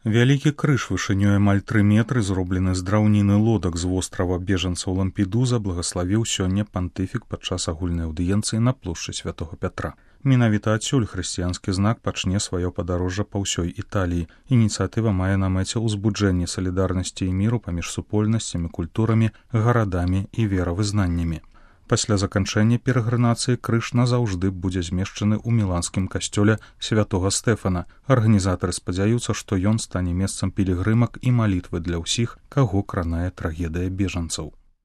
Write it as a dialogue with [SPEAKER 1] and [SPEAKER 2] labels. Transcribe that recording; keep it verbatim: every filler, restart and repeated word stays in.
[SPEAKER 1] Вялікі крыж вышынёй амаль тры метры, зроблены з драўніны лодак з вострава бежанцаў Лампедуза, благаславіў сёння пантыфік падчас агульнай аўдыенцыі на плошчы Святога Пятра. Менавіта адсюль хрысціянскі знак пачне сваё падарожжа па ўсёй Італіі. Ініцыятыва мае на мэце ўзбуджэнне салідарнасці і міру паміж супольнасцямі, культурамі, гарадамі і веравызнаннямі. Пасля заканчэння перагранацыі крыж назаўжды будзе змешчаны ў міланскім касцёле святога Стэфана. Арганізатары спадзяюцца, што ён стане месцам пілігрымак і малітвы для ўсіх, каго кранае трагедыя бежанцаў.